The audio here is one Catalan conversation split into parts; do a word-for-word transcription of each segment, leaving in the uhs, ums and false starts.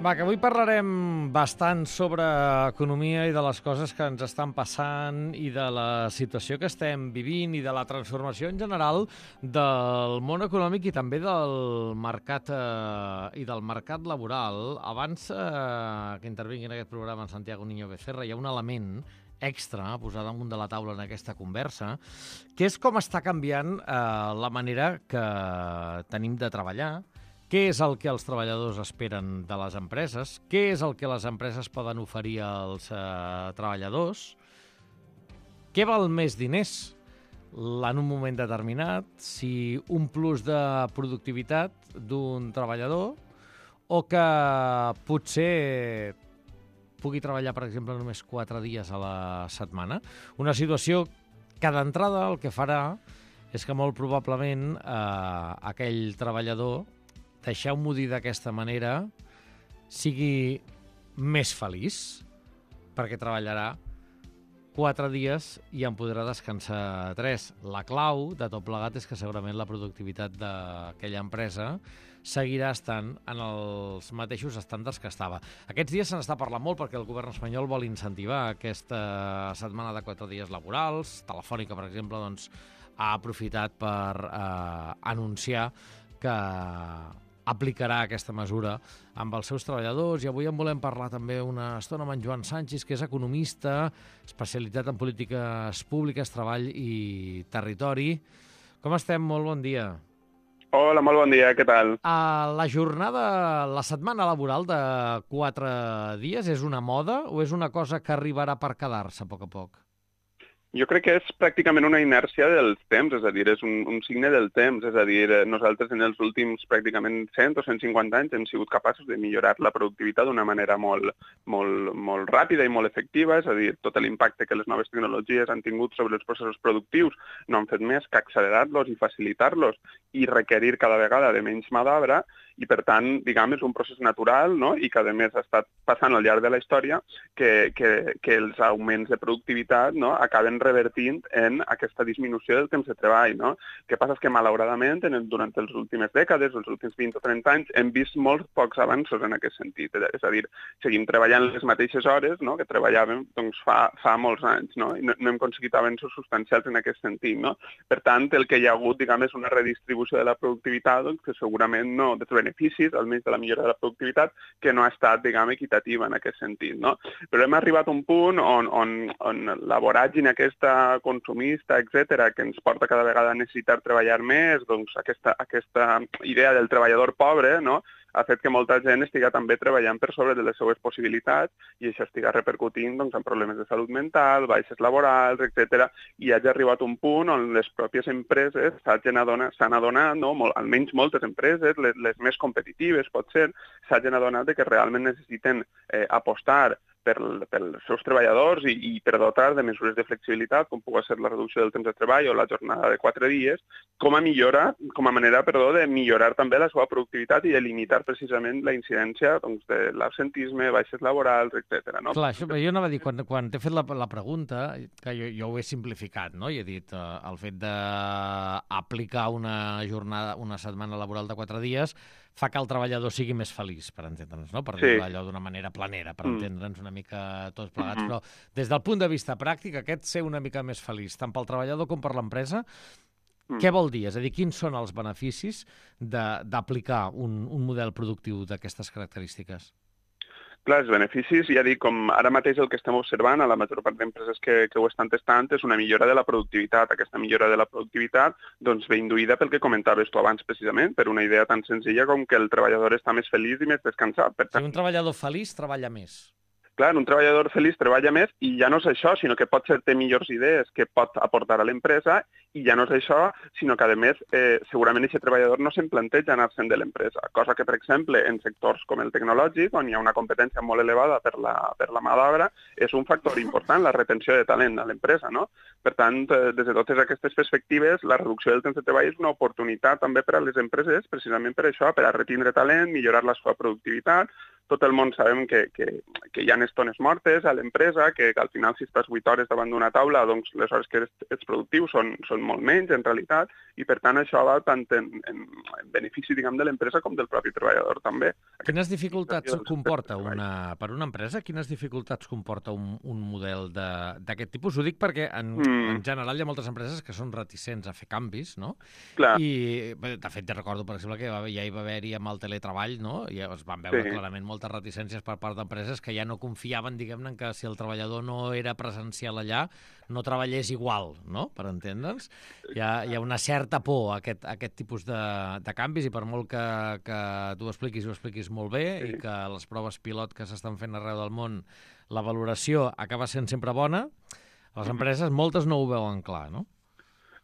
Va, que avui parlarem bastant sobre economia i de les coses que ens estan passant i de la situació que estem vivint i de la transformació en general del món econòmic i també del mercat eh, i del mercat laboral. Abans eh, que intervingui en aquest programa en Santiago Niño Becerra, hi ha un element extra a posar damunt de la taula en aquesta conversa, que és com està canviant eh, la manera que tenim de treballar, què és el que els treballadors esperen de les empreses, què és el que les empreses poden oferir als eh, treballadors, què val més diners en un moment determinat, si un plus de productivitat d'un treballador o que potser pugui treballar, per exemple, només quatre dies a la setmana. Una situació que d'entrada el que farà és que molt probablement eh, aquell treballador, deixeu-m'ho dir d'aquesta manera, sigui més feliç, perquè treballarà quatre dies i en podrà descansar tres. La clau de tot plegat és que segurament la productivitat d'aquella empresa seguirà estant en els mateixos estàndards que estava. Aquests dies se n'està parlant molt perquè el govern espanyol vol incentivar aquesta setmana de quatre dies laborals. Telefònica, per exemple, doncs, ha aprofitat per eh, anunciar que aplicarà aquesta mesura amb els seus treballadors, i avui en volem parlar també una estona amb en Joan Sanchis, que és economista, especialitzat en polítiques públiques, treball i territori. Com estem? Molt bon dia. Hola, molt bon dia, què tal? Uh, la jornada, la setmana laboral de quatre dies és una moda o és una cosa que arribarà per quedar-se a poc a poc? Jo crec que és pràcticament una inèrcia dels temps, és a dir, és un, un signe del temps, és a dir, nosaltres en els últims pràcticament cent o cent cinquanta anys hem sigut capaços de millorar la productivitat d'una manera molt, molt, molt ràpida i molt efectiva, és a dir, tot l'impacte que les noves tecnologies han tingut sobre els processos productius no han fet més que accelerar-los i facilitar-los i requerir cada vegada de menys mà d'obra, i per tant, diguem, és un procés natural, no? I que a més ha estat passant al llarg de la història que, que, que els augments de productivitat, no? Acaben revertint en aquesta disminució del temps de treball, no? El que passa és que, malauradament, en el, durant les últimes dècades, els últims vint o trenta anys, hem vist molts pocs avanços en aquest sentit. És a dir, seguim treballant les mateixes hores, no? Que treballàvem doncs, fa, fa molts anys, no? I no, no hem aconseguit avanços substancials en aquest sentit, no? Per tant, el que hi ha hagut, diguem, és una redistribució de la productivitat, doncs, que segurament no, de beneficis, almenys de la millora de la productivitat, que no ha estat, diguem, equitativa en aquest sentit, no? Però hem arribat a un punt on, on, on la voràgine aquesta consumista, etcètera, que ens porta cada vegada a necessitar treballar més, doncs aquesta, aquesta idea del treballador pobre, no?, ha fet que molta gent estigui també treballant per sobre de les seues possibilitats i això estigui repercutint doncs, en problemes de salut mental, baixes laborals, etcètera. I hagi arribat un punt on les pròpies empreses s'hagin adonat, s'han adonat, no? Molt, almenys moltes empreses, les, les més competitives, pot ser, s'hagin adonat de que realment necessiten eh, apostar per pels seus treballadors i, i per dotar de mesures de flexibilitat, com pugui ser la reducció del temps de treball o la jornada de quatre dies, com a millora, com a manera, perdó, de millorar també la seva productivitat i de limitar precisament la incidència doncs, de l'absentisme, baixes laborals, etcètera. No? Clar, això, jo anava a dir, quan, quan t'he fet la, la pregunta, que jo, jo ho he simplificat, no? I he dit eh, el fet d'aplicar una jornada, una setmana laboral de quatre dies fa que el treballador sigui més feliç, per entendre'ns, no? Per sí. dir-ho allò d'una manera planera, per mm. entendre'ns una mica tots plegats. Mm -hmm. Però des del punt de vista pràctic, aquest ser una mica més feliç, tant pel treballador com per l'empresa, mm. què vol dir? És a dir, quins són els beneficis d'aplicar un, un model productiu d'aquestes característiques? Clar, els beneficis, ja dic, com ara mateix el que estem observant a la major part d'empreses que, que ho estan testant és una millora de la productivitat. Aquesta millora de la productivitat doncs, ve induïda pel que comentaves tu abans precisament, per una idea tan senzilla com que el treballador està més feliç i més descansat. Per tant, si un treballador feliç treballa més. Clar, un treballador feliç treballa més i ja no és això, sinó que pot ser té millors idees que pot aportar a l'empresa i ja no és això, sinó que, a més, eh, segurament aquest treballador no se'n planteja anar-se'n de l'empresa, cosa que, per exemple, en sectors com el tecnològic, on hi ha una competència molt elevada per la, per la mà d'obra, és un factor important, la retenció de talent a l'empresa, no? Per tant, eh, des de totes aquestes perspectives, la reducció del temps de treball és una oportunitat també per a les empreses, precisament per això, per a retindre talent, millorar la seva productivitat, tot el món sabem que, que, que hi ha estones mortes a l'empresa, que, que al final si estàs vuit hores davant d'una taula, doncs les hores que ets productiu són, són molt menys en realitat, i per tant això va tant en, en, en benefici, diguem, de l'empresa com del propi treballador també. Quines dificultats comporta una, per una empresa, quines dificultats comporta un, un model d'aquest tipus? Ho dic perquè en, mm. en general hi ha moltes empreses que són reticents a fer canvis, no? Clar. I, de fet, ja recordo, per exemple, que ja hi va haver-hi amb el teletreball, no? I es van veure sí. clarament moltes reticències per part d'empreses que ja no confiaven, diguem-ne, que si el treballador no era presencial allà, no treballés igual, no? Per entendre'ns. Hi ha, hi ha una certa por a aquest, a aquest tipus de, de canvis i per molt que, que tu ho expliquis i ho expliquis molt bé sí. i que les proves pilot que s'estan fent arreu del món, la valoració acaba sent sempre bona, les empreses moltes no ho veuen clar, no?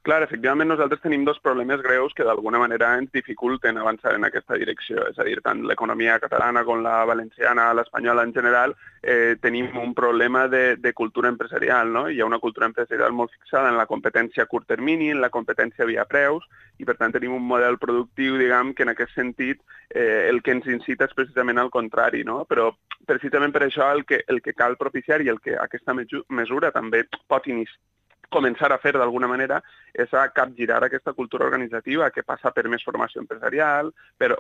Clar, efectivament, nosaltres tenim dos problemes greus que d'alguna manera ens dificulten avançar en aquesta direcció. És a dir, tant l'economia catalana com la valenciana, l'espanyola en general, eh, tenim un problema de, de cultura empresarial, no? Hi ha una cultura empresarial molt fixada en la competència a curt termini, en la competència via preus, i per tant tenim un model productiu, diguem, que en aquest sentit eh, el que ens incita és precisament al contrari, no? Però precisament per això el que, el que cal propiciar i el que aquesta mesura també pot iniciar, començar a fer d'alguna manera és a capgirar aquesta cultura organitzativa que passa per més formació empresarial, per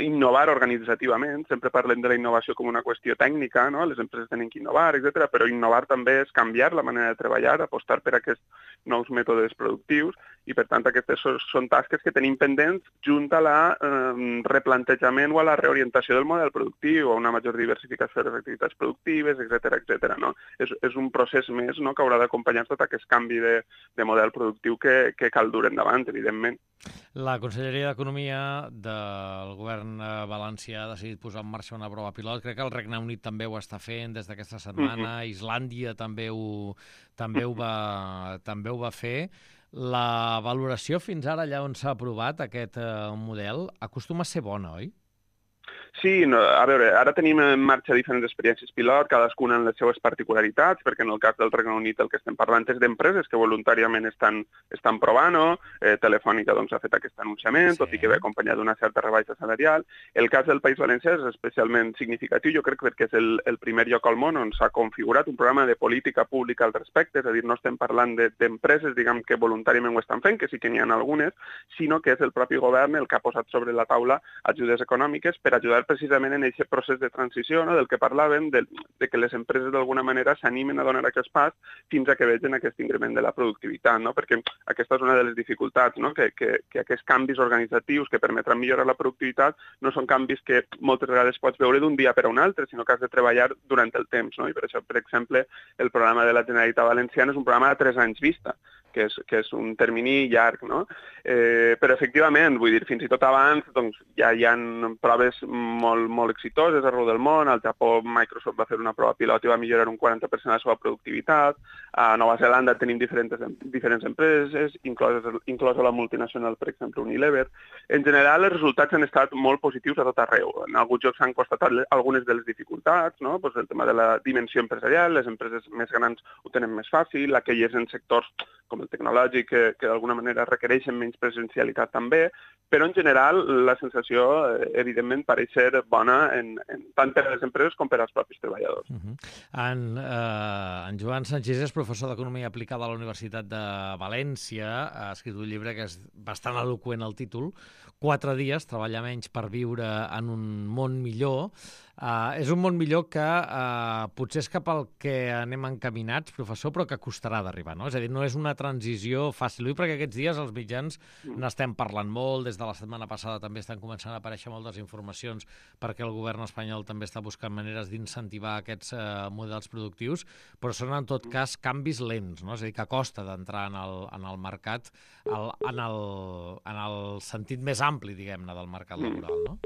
innovar organitzativament. Sempre parlem de la innovació com una qüestió tècnica, no? Les empreses tenen que innovar, etcètera, però innovar també és canviar la manera de treballar, apostar per aquests nous mètodes productius i, per tant, aquestes són tasques que tenim pendents junt a la eh, replantejament o a la reorientació del model productiu, a una major diversificació de les activitats productives, etcètera, etcètera, no? És, és un procés més, no?, que haurà d'acompanyar tot aquest canvi de, de model productiu que, que cal dur endavant, evidentment. La Conselleria d'Economia del govern valencià ha decidit posar en marxa una prova pilot. Crec que el Regne Unit també ho està fent des d'aquesta setmana, mm-hmm. Islàndia també ho, també, ho va, també ho va fer. La valoració fins ara, allà on s'ha aprovat aquest eh, model, acostuma a ser bona, oi? Sí, no, a veure, ara tenim en marxa diferents experiències pilot, cadascuna en les seues particularitats, perquè en el cas del Regne Unit el que estem parlant és d'empreses que voluntàriament estan, estan provant-ho, eh, Telefònica doncs, ha fet aquest anunciament, sí. tot i que ve acompanyat d'una certa rebaixa salarial. El cas del País Valencià és especialment significatiu, jo crec, perquè és el, el primer lloc al món on s'ha configurat un programa de política pública al respecte, és a dir, no estem parlant d'empreses, de, diguem, que voluntàriament ho estan fent, que sí que n'hi ha algunes, sinó que és el propi govern el que ha posat sobre la taula ajudes econòmiques per ajudar precisament en aquest procés de transició, no?, del que parlàvem, de, de que les empreses d'alguna manera s'animen a donar aquest pas fins a que vegin aquest increment de la productivitat, no? Perquè aquesta és una de les dificultats, no?, que, que, que aquests canvis organitzatius que permetran millorar la productivitat no són canvis que moltes vegades pots veure d'un dia per a un altre, sinó que has de treballar durant el temps, no? I per això, per exemple, el programa de la Generalitat Valenciana és un programa de tres anys vista, que és, que és un termini llarg, no? Eh, però efectivament, vull dir, fins i tot abans doncs, ja hi ha proves molt, molt exitoses arreu del món. Al Japó Microsoft va fer una prova pilot i va millorar un quaranta per cent la seva productivitat. A Nova Zelanda tenim diferents, diferents empreses, incloses, inclosa la multinacional, per exemple, Unilever. En general, els resultats han estat molt positius a tot arreu. En alguns jocs s'han constatat algunes de les dificultats, no? Pues el tema de la dimensió empresarial, les empreses més grans ho tenen més fàcil, aquelles en sectors com el tecnològic, que, que d'alguna manera requereixen menys presencialitat també, però en general la sensació, evidentment, pareix ser bona en, en, tant per a les empreses com per als propis treballadors. Uh-huh. en, uh, en Joan Sanchis és professor d'Economia Aplicada a la Universitat de València, ha escrit un llibre que és bastant eloqüent el títol, Quatre dies, treballar menys per viure en un món millor. Uh, és un món millor que uh, potser és cap al que anem encaminats, professor, però que costarà d'arribar, no? És a dir, no és una transició fàcil, perquè aquests dies els mitjans n'estem parlant molt, des de la setmana passada també estan començant a aparèixer moltes informacions perquè el govern espanyol també està buscant maneres d'incentivar aquests uh, models productius, però són en tot cas canvis lents, no? És a dir, que costa d'entrar en, el, en el mercat, el, en, el, en el sentit més ampli, diguem-ne, del mercat laboral, no?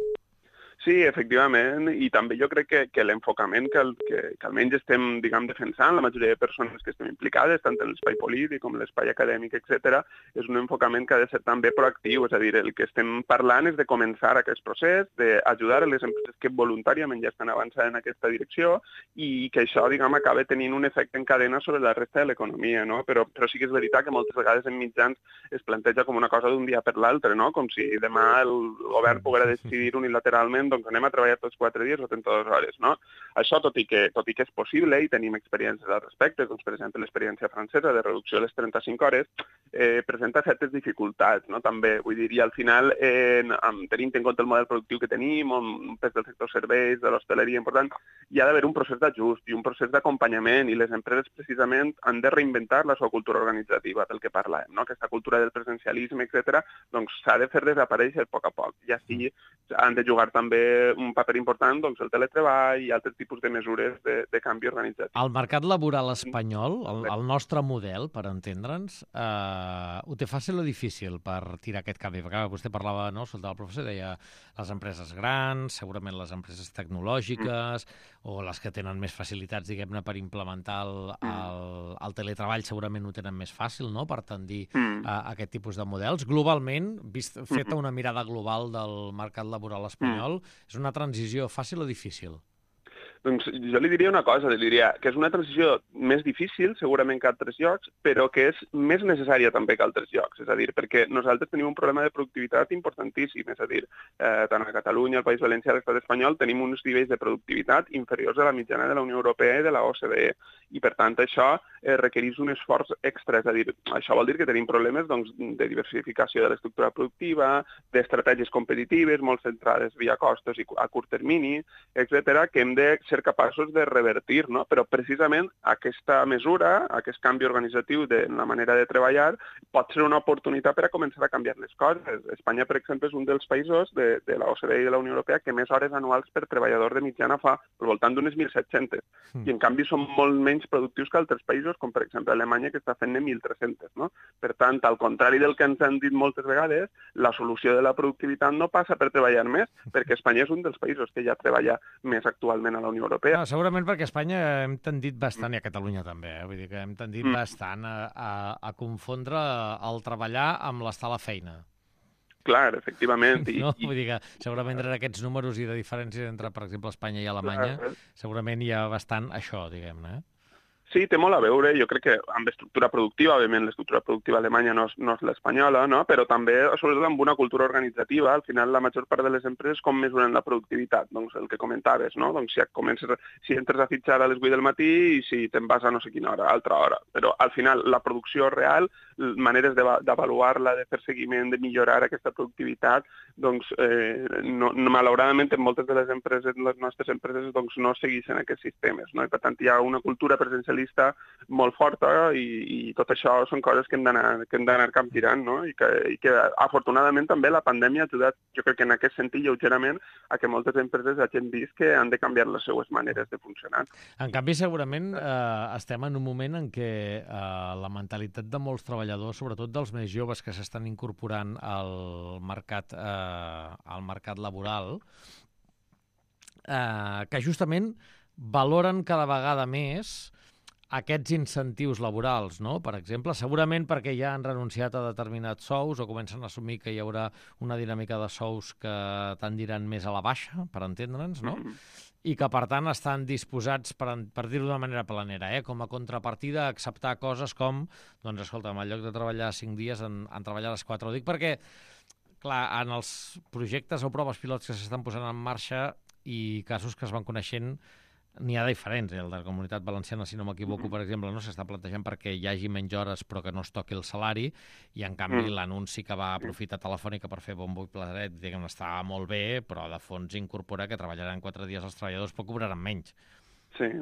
Sí, efectivament, i també jo crec que, que l'enfocament que, el, que, que almenys estem, diguem, defensant, la majoria de persones que estem implicades, tant en l'espai polític com en l'espai acadèmic, etcètera, és un enfocament que ha de ser també proactiu, és a dir, el que estem parlant és de començar aquest procés, d'ajudar a les empreses que voluntàriament ja estan avançant en aquesta direcció i que això, diguem, acaba tenint un efecte en cadena sobre la resta de l'economia, no? Però, però sí que és veritat que moltes vegades en mitjans es planteja com una cosa d'un dia per l'altre, no? Com si demà el govern poguera decidir unilateralment doncs anem a treballar tots quatre dies o trenta-dues hores, no? Això, tot i que, tot i que és possible i tenim experiències al respecte, doncs, per exemple, l'experiència francesa de reducció de les trenta-cinc hores, eh, presenta certes dificultats, no? També, vull dir, i al final, eh, tenint en compte el model productiu que tenim, un pes del sector serveis, de l'hostaleria important, hi ha d'haver un procés d'ajust i un procés d'acompanyament, i les empreses precisament han de reinventar la seva cultura organitzativa, del que parlàvem, no? Aquesta cultura del presencialisme, etcètera, doncs s'ha de fer desaparèixer a poc a poc. I així han de jugar també un paper important doncs, el teletreball i altres tipus de mesures de, de canvi organitzatiu. El mercat laboral espanyol, el, el nostre model, per entendre'ns, eh, ho té fàcil o difícil per tirar aquest canvi? Perquè vostè parlava, no, escoltava el professor, deia les empreses grans, segurament les empreses tecnològiques, mm. o les que tenen més facilitats, diguem-ne, per implementar el, el, el teletreball, segurament ho tenen més fàcil, no?, per tendir mm. a, a aquest tipus de models. Globalment, vist, feta una mirada global del mercat laboral espanyol, mm. és una transició fàcil o difícil? Doncs jo li diria una cosa, li diria que és una transició més difícil, segurament que a altres llocs, però que és més necessària també que a altres llocs. És a dir, perquè nosaltres tenim un problema de productivitat importantíssim, és a dir, eh, tant a Catalunya, al País Valencià, a l'Estat espanyol, tenim uns nivells de productivitat inferiors a la mitjana de la Unió Europea i de la O C D E, i per tant això eh, requereix un esforç extra, és a dir, això vol dir que tenim problemes doncs, de diversificació de l'estructura productiva, d'estratègies competitives, molt centrades via costos i a curt termini, etcètera, que hem de ser capaços de revertir, no? Però precisament aquesta mesura, aquest canvi organitzatiu de la manera de treballar, pot ser una oportunitat per a començar a canviar les coses. Espanya, per exemple, és un dels països de, de la O C D E i de la Unió Europea que més hores anuals per treballador de mitjana fa, al voltant d'unes mil set-centes. Mm. I en canvi són molt menys productius que altres països, com per exemple Alemanya, que està fent-ne mil tres-centes, no? Per tant, al contrari del que ens han dit moltes vegades, la solució de la productivitat no passa per treballar més, perquè Espanya és un dels països que ja treballa més actualment a la Unió Europea. No, segurament perquè a Espanya hem tendit bastant, i a Catalunya també, eh? Vull dir que hem tendit mm. bastant a, a, a confondre el treballar amb l'estar a la feina. Clar, efectivament. I, no? Vull dir que segurament entre aquests números i de diferències entre, per exemple, Espanya i Alemanya, clar, segurament hi ha bastant això, diguem-ne. Sí, té molt a veure, jo crec que amb estructura productiva, òbviament l'estructura productiva alemanya no és, no és l'espanyola, no? Però també, sobretot, amb una cultura organitzativa. Al final, la major part de les empreses com mesuren la productivitat? Doncs el que comentaves, no? Doncs si, comences, si entres a fitxar a les vuit del matí i si te'n vas a no sé quina hora, altra hora. Però al final, la producció real, maneres d'avaluar-la, de fer seguiment, de millorar aquesta productivitat, doncs, eh, no, no, malauradament, en moltes de les empreses, les nostres empreses, doncs, no segueixen aquests sistemes, no? I per tant, hi ha una cultura presencialista molt forta i, i tot això són coses que hem d'anar que hem d'anar capgirant, no? I que, i que afortunadament també la pandèmia ha ajudat, jo crec que en aquest sentit lleugerament, a que moltes empreses hagin vist que han de canviar les seues maneres de funcionar. En canvi, segurament eh, estem en un moment en què eh, la mentalitat de molts treballadors, sobretot dels més joves que s'estan incorporant al mercat, eh, al mercat laboral, eh, que justament valoren cada vegada més aquests incentius laborals, no? Per exemple, segurament perquè ja han renunciat a determinats sous o comencen a assumir que hi haurà una dinàmica de sous que tendiran més a la baixa, per entendre'ns, no? Mm-hmm. I que, per tant, estan disposats, per, per dir-ho d'una manera planera, eh? Com a contrapartida, a acceptar coses com, doncs, escolta, en lloc de treballar cinc dies, en, en treballar les quatre. Ho dic perquè, clar, en els projectes o proves pilots que s'estan posant en marxa i casos que es van coneixent, n'hi ha diferents. El de la Comunitat Valenciana, si no m'equivoco, per exemple, no s'està plantejant perquè hi hagi menys hores però que no es toqui el salari, i en canvi mm. l'anunci que va aprofitar Telefònica per fer bombo i plaeret, diguem, està molt bé, però de fons incorpora que treballaran quatre dies els treballadors però cobraran menys. Sí.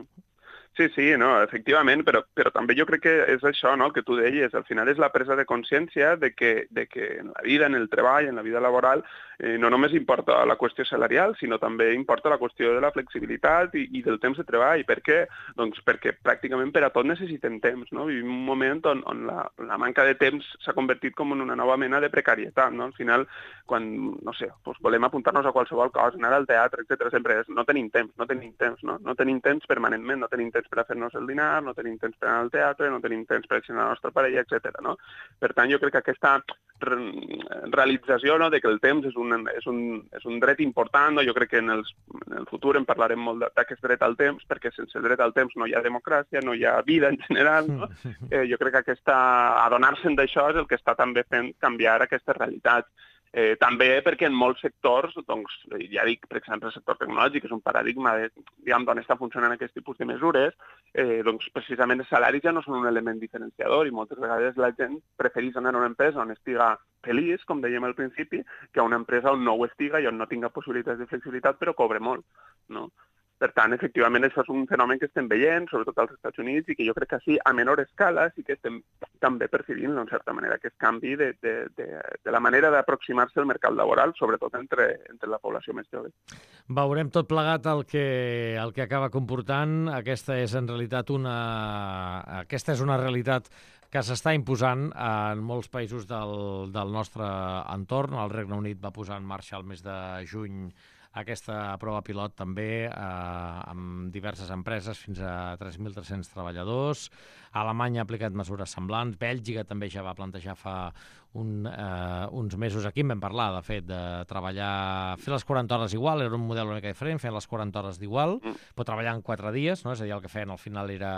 Sí, sí, no, efectivament, però, però també jo crec que és això, no?, el que tu deies. Al final és la presa de consciència de que, de que en la vida, en el treball, en la vida laboral, eh, no només importa la qüestió salarial, sinó també importa la qüestió de la flexibilitat i, i del temps de treball. Per què? Doncs perquè pràcticament per a tot necessitem temps, no? Vivim un moment on, on la, la manca de temps s'ha convertit com en una nova mena de precarietat, no? Al final, quan, no sé, doncs volem apuntar-nos a qualsevol cosa, anar al teatre, etcètera, sempre és, no tenim temps, no tenim temps, no? No tenim temps permanentment, no tenim temps per a fer-nos el dinar, no tenim temps per anar al teatre, no tenim temps per accionar la nostra parella, etcètera, no? Per tant, jo crec que aquesta realització, no?, de que el temps és un, és un, és un dret important, no? Jo crec que en, els, en el futur en parlarem molt d'aquest dret al temps, perquè sense el dret al temps no hi ha democràcia, no hi ha vida en general, no? Eh, jo crec que aquesta, adonar-se'n d'això és el que està també fent canviar aquestes realitats. Eh, també perquè en molts sectors, doncs, ja dic, per exemple, el sector tecnològic, que és un paradigma de, diguem, d'on està funcionant aquest tipus de mesures, eh, doncs precisament els salaris ja no són un element diferenciador i moltes vegades la gent prefereix anar a una empresa on estiga feliç, com dèiem al principi, que a una empresa on no ho estiga i on no tinga possibilitats de flexibilitat però cobre molt, no? Per tant, efectivament, això és un fenomen que estem veient, sobretot als Estats Units, i que jo crec que així, a menor escala, sí que estem també percebint, en certa manera, aquest canvi de, de, de, de la manera d'aproximar-se al mercat laboral, sobretot entre, entre la població més jove. Veurem tot plegat el que, el que acaba comportant. Aquesta és, en realitat, una, aquesta és una realitat que s'està imposant en molts països del, del nostre entorn. El Regne Unit va posar en marxa el mes de juny aquesta prova pilot també eh, amb diverses empreses, fins a tres mil tres-cents treballadors. Alemanya ha aplicat mesures semblants. Bèlgica també ja va plantejar fa un, eh, uns mesos. Aquí en vam parlar, de fet, de treballar, fer les quaranta hores igual, era un model una mica diferent, fer les quaranta hores d'igual, però treballar en quatre dies, no? És a dir, el que feien al final era,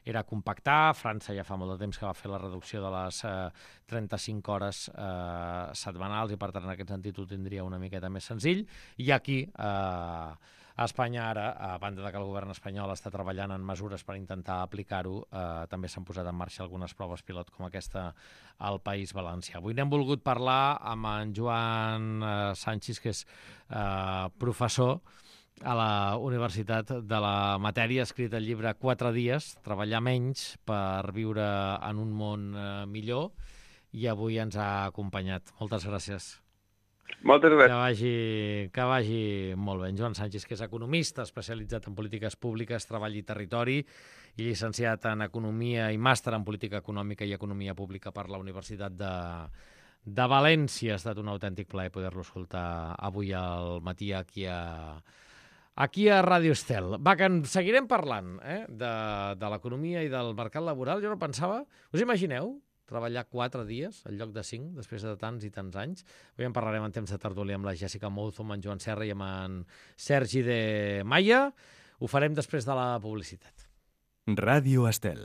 era compactar. França ja fa molt de temps que va fer la reducció de les eh, trenta-cinc hores eh, setmanals i, per tant, en aquest sentit ho tindria una miqueta més senzill. I aquí, eh, a Espanya ara, a banda de que el govern espanyol està treballant en mesures per intentar aplicar-ho, eh, també s'han posat en marxa algunes proves pilot com aquesta al País Valencià. Avui n'hem volgut parlar amb en Joan eh, Sanchis, que és eh, professor a la Universitat de la Matèria, ha escrit el llibre Quatre dies, treballar menys per viure en un món eh, millor, i avui ens ha acompanyat. Moltes gràcies. Moltes gràcies. Que vagi, que vagi molt bé. En Joan Sanchis, que és economista, especialitzat en polítiques públiques, treball i territori, i llicenciat en Economia i màster en Política Econòmica i Economia Pública per la Universitat de, de València. Ha estat un autèntic plaer poder-lo escoltar avui al matí aquí a, aquí a Ràdio Estel. Va, que en seguirem parlant eh, de, de l'economia i del mercat laboral. Jo no pensava... Us imagineu treballar quatre dies en lloc de cinc, després de tants i tants anys? Avui en parlarem en temps de tertúlia amb la Jessica Mouzo, amb en Joan Serra i amb en Sergi de Maia. Ho farem després de la publicitat. Ràdio Estel.